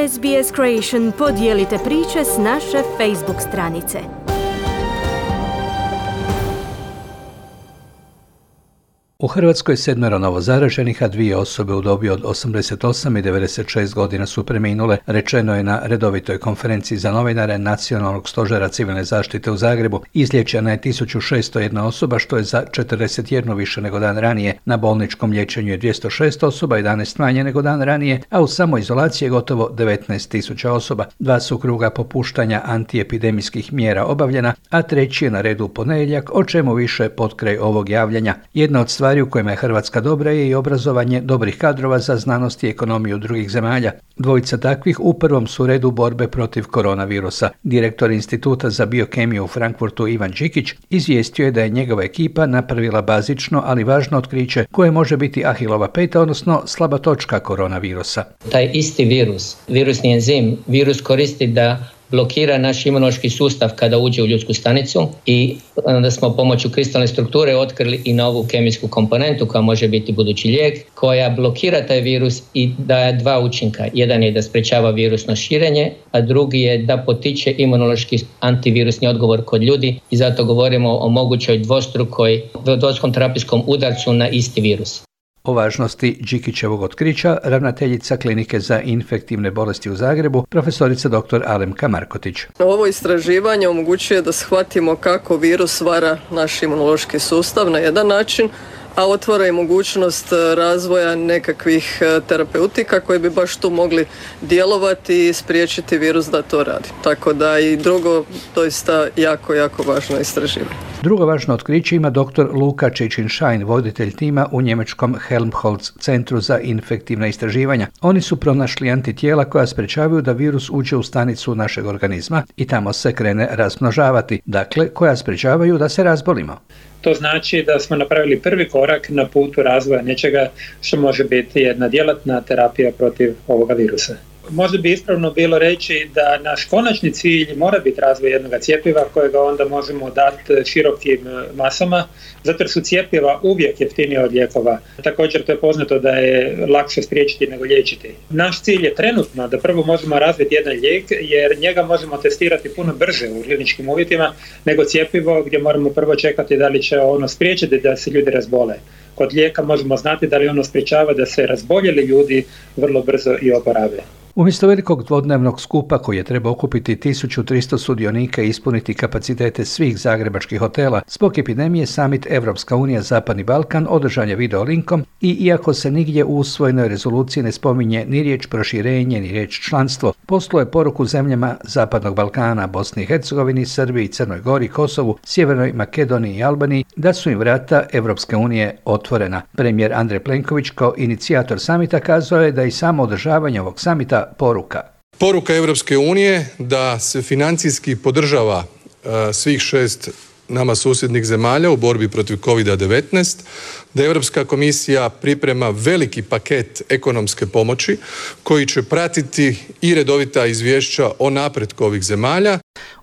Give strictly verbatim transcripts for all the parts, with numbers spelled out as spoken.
S B S Creation podijelite priče s naše Facebook stranice. U Hrvatskoj sedmero novozaraženih, a dvije osobe u dobi od osamdeset osam i devedeset šest godina su preminule, rečeno je na redovitoj konferenciji za novinare Nacionalnog stožera civilne zaštite u Zagrebu. Izliječena je tisuću šesto jedna osoba, što je za četrdeset jedan više nego dan ranije. Na bolničkom liječenju je dvjesto šest osoba, jedanaest manje nego dan ranije, a u samoizolaciji je gotovo devetnaest tisuća osoba. Dva su kruga popuštanja antiepidemijskih mjera obavljena, a treći je na redu u ponedjeljak, o čemu više potkraj ovog javljanja. Jedna od stvari u kojima je Hrvatska dobra je i obrazovanje dobrih kadrova za znanost i ekonomiju drugih zemalja. Dvojica takvih u prvom su redu borbe protiv koronavirusa. Direktor Instituta za biokemiju u Frankfurtu Ivan Đikić izvijestio je da je njegova ekipa napravila bazično, ali važno otkriće koje može biti Ahilova peta, odnosno slaba točka koronavirusa. Taj isti virus, virusni enzim, virus koristi da blokira naš imunološki sustav kada uđe u ljudsku stanicu i onda smo pomoću kristalne strukture otkrili i novu kemijsku komponentu koja može biti budući lijek, koja blokira taj virus i daje dva učinka. Jedan je da sprečava virusno širenje, a drugi je da potiče imunološki antivirusni odgovor kod ljudi i zato govorimo o mogućoj dvostrukoj, dvostrukom terapijskom udarcu na isti virus. O važnosti Đikićevog otkrića ravnateljica Klinike za infektivne bolesti u Zagrebu, profesorica doktor Alemka Markotić. Ovo istraživanje omogućuje da shvatimo kako virus vara naš imunološki sustav na jedan način, a otvara i mogućnost razvoja nekakvih terapeutika koji bi baš tu mogli djelovati i spriječiti virus da to radi. Tako da i drugo, doista jako, jako važno istraživanje. Drugo važno otkriće ima doktor Luka Čičin-Šajn, voditelj tima u njemačkom Helmholtz centru za infektivna istraživanja. Oni su pronašli antitijela koja sprečavaju da virus uđe u stanicu našeg organizma i tamo se krene razmnožavati, dakle koja sprečavaju da se razbolimo. To znači da smo napravili prvi korak na putu razvoja nečega što može biti jedna djelatna terapija protiv ovoga virusa. Možda bi ispravno bilo reći da naš konačni cilj mora biti razvoj jednog cjepiva kojega onda možemo dati širokim masama, zato jer su cjepiva uvijek jeftinije od lijekova. Također to je poznato da je lakše spriječiti nego liječiti. Naš cilj je trenutno da prvo možemo razviti jedan lijek jer njega možemo testirati puno brže u kliničkim uvjetima nego cjepivo gdje moramo prvo čekati da li će ono spriječiti da se ljudi razbole. Kod lijeka možemo znati da li ono sprječava da se razboljeli ljudi vrlo brzo i oporave. Umjesto velikog dvodnevnog skupa koji je trebao okupiti tisuću tristo sudionika i ispuniti kapacitete svih zagrebačkih hotela, zbog epidemije Summit Evropska unija Zapadni Balkan održan je video linkom i iako se nigdje u usvojenoj rezoluciji ne spominje ni riječ proširenje ni riječ članstvo, poslao je poruku zemljama Zapadnog Balkana, Bosni i Hercegovini, Srbiji, Crnoj Gori, Kosovu, Sjevernoj Makedoniji i Albaniji da su im vrata Evropske unije otvorena. Premijer Andrej Plenković kao inicijator samita kazao je da i samo održavanje ovog samita poruka. Poruka Europske unije da se financijski podržava uh, svih šest nama susjednih zemalja u borbi protiv kovid devetnaest, da Europska komisija priprema veliki paket ekonomske pomoći koji će pratiti i redovita izvješća o napretku ovih zemalja.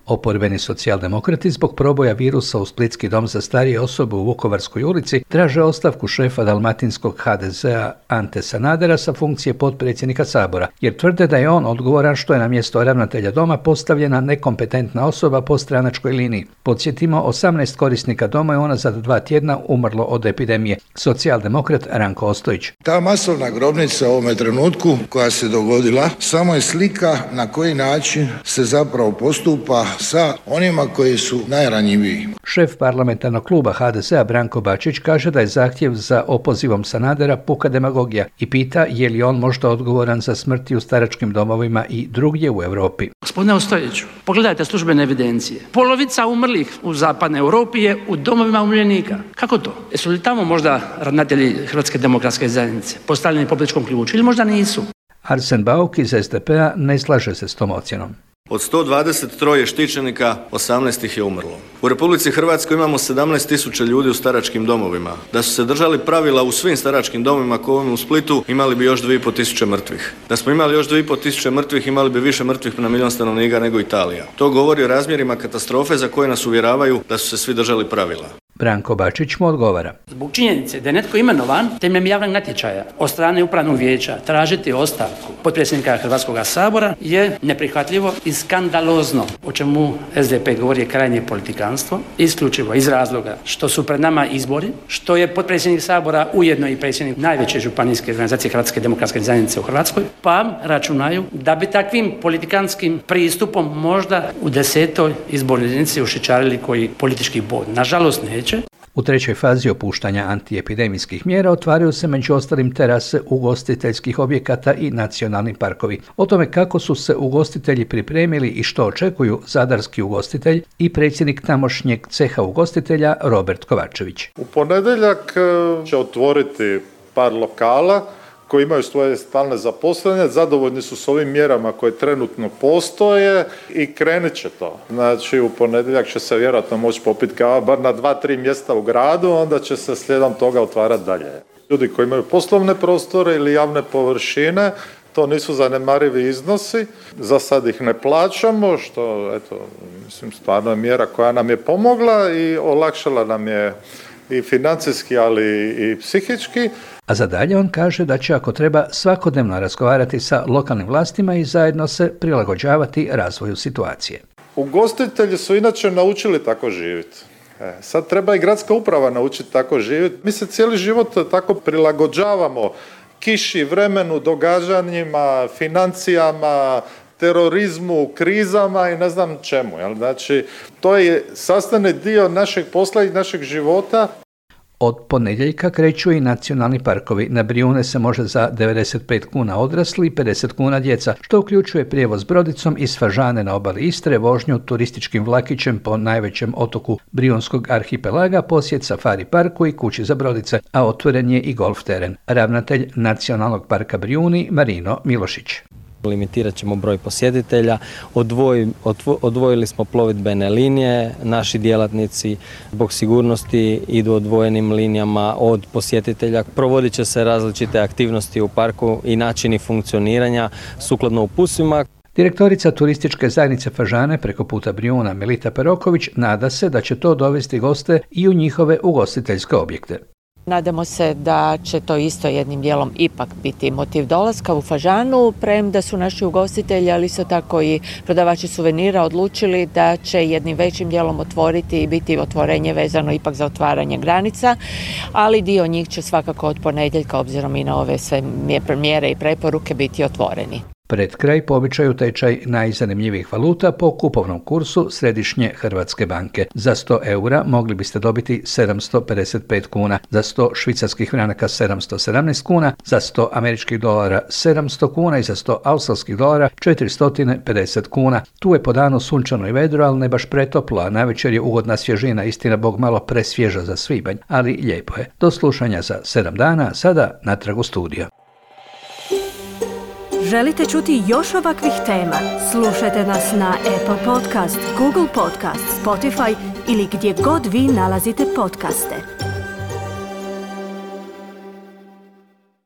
Oporbeni socijaldemokrati zbog proboja virusa u Splitski dom za starije osobe u Vukovarskoj ulici traže ostavku šefa dalmatinskog ha de zea Ante Sanadera sa funkcije potpredsjednika Sabora, jer tvrde da je on odgovoran što je na mjesto ravnatelja doma postavljena nekompetentna osoba po stranačkoj liniji. Podsjetimo, osamnaest korisnika doma je unazad dva tjedna umrlo od epidemije. Socijaldemokrat Ranko Ostojić. Ta masovna grobnica u ovome trenutku koja se dogodila samo je slika na koji način se zapravo postupa sa onima koji su najranjiviji. Šef parlamentarnog kluba ha de zea Branko Bačić kaže da je zahtjev za opozivom Sanadera puka demagogija i pita je li on možda odgovoran za smrti u staračkim domovima i drugdje u Europi. Gospodine Ostojiću, pogledajte službene evidencije. Polovica umrlih u zapadnoj Europi je u domovima umirovljenika. Kako to? Jesu li tamo možda ravnatelji Hrvatske demokratske zajednice postavljeni po političkom ključu ili možda nisu? Arsen Bauk iz es de pe a ne slaže se s tom ocjenom. Od sto dvadeset tri štićenika, osamnaest ih je umrlo. U Republici Hrvatskoj imamo sedamnaest tisuća ljudi u staračkim domovima. Da su se držali pravila u svim staračkim domovima kao u Splitu, imali bi još dvije i pol tisuće mrtvih. Da smo imali još dvije i pol tisuće mrtvih, imali bi više mrtvih na milijun stanovnika nego Italija. To govori o razmjerima katastrofe za koje nas uvjeravaju da su se svi držali pravila. Branko Bačić mu odgovara. Zbog činjenice da je netko imenovan temeljem javnog natječaja od strane upravnog vijeća tražiti ostavku potpredsjednika Hrvatskog sabora je neprihvatljivo i skandalozno, o čemu S D P govori je krajnje politikanstvo, isključivo iz razloga što su pred nama izbori, što je potpredsjednik Sabora ujedno i predsjednik najveće županijske organizacije Hrvatske demokratske zajednice u Hrvatskoj, pa računaju da bi takvim politikanskim pristupom možda u desetoj izbornoj jedinici ušićarili koji politički bod. Nažalost neće. U trećoj fazi opuštanja antiepidemijskih mjera otvaraju se među ostalim terase ugostiteljskih objekata i nacionalni parkovi. O tome kako su se ugostitelji pripremili i što očekuju zadarski ugostitelj i predsjednik tamošnjeg ceha ugostitelja Robert Kovačević. U ponedjeljak će otvoriti par lokala koji imaju svoje stalne zaposlene, zadovoljni su s ovim mjerama koje trenutno postoje i krenit će to. Znači u ponedjeljak će se vjerojatno moći popiti kava bar na dva, tri mjesta u gradu, onda će se slijedom toga otvarati dalje. Ljudi koji imaju poslovne prostore ili javne površine, to nisu zanemarivi iznosi, za sad ih ne plaćamo, što eto, mislim, stvarno je mjera koja nam je pomogla i olakšala nam je i financijski, ali i psihički. A za dalje on kaže da će ako treba svakodnevno razgovarati sa lokalnim vlastima i zajedno se prilagođavati razvoju situacije. Ugostitelji su inače naučili tako živjeti. E, sad treba i gradska uprava naučiti tako živjeti. Mi se cijeli život tako prilagođavamo kiši, vremenu, događanjima, financijama, terorizmu, krizama i ne znam čemu. Jel? Znači, to je sastavni dio našeg posla i našeg života. Od ponedjeljka kreću i nacionalni parkovi. Na Brijune se može za devedeset pet kuna odrasli i pedeset kuna djeca, što uključuje prijevoz brodicom iz Fažane na obali Istre, vožnju turističkim vlakićem po najvećem otoku Brijunskog arhipelaga, posjet safari parku i kući za brodice, a otvoren je i golf teren. Ravnatelj Nacionalnog parka Brijuni Marino Milošić. Limitirat ćemo broj posjetitelja, Odvoj, odvo, odvojili smo plovidbene linije, naši djelatnici zbog sigurnosti idu odvojenim linijama od posjetitelja. Provodit će se različite aktivnosti u parku i načini funkcioniranja sukladno uputствima. Direktorica turističke zajednice Fažane preko puta Brijuna Melita Peroković nada se da će to dovesti goste i u njihove ugostiteljske objekte. Nadamo se da će to isto jednim dijelom ipak biti motiv dolaska u Fažanu, premda su naši ugostitelji, ali isto tako i prodavači suvenira odlučili da će jednim većim dijelom otvoriti i biti otvorenje vezano ipak za otvaranje granica, ali dio njih će svakako od ponedjeljka, obzirom i na ove sve mjere i preporuke, biti otvoreni. Pred kraj po običaju tečaj najzanimljivijih valuta po kupovnom kursu Središnje Hrvatske banke. Za sto eura mogli biste dobiti sedamsto pedeset pet kuna, za sto švicarskih franaka sedamsto sedamnaest kuna, za sto američkih dolara sedamsto kuna i za sto australskih dolara četiristo pedeset kuna. Tu je po danu sunčano i vedro, ali ne baš pretoplo, a navečer je ugodna svježina, istina bog malo presvježa za svibanj, ali lijepo je. Do slušanja za sedam dana, sada natrag u studio. Želite čuti još ovakvih tema? Slušajte nas na Apple Podcast, Google Podcast, Spotify ili gdje god vi nalazite podcaste.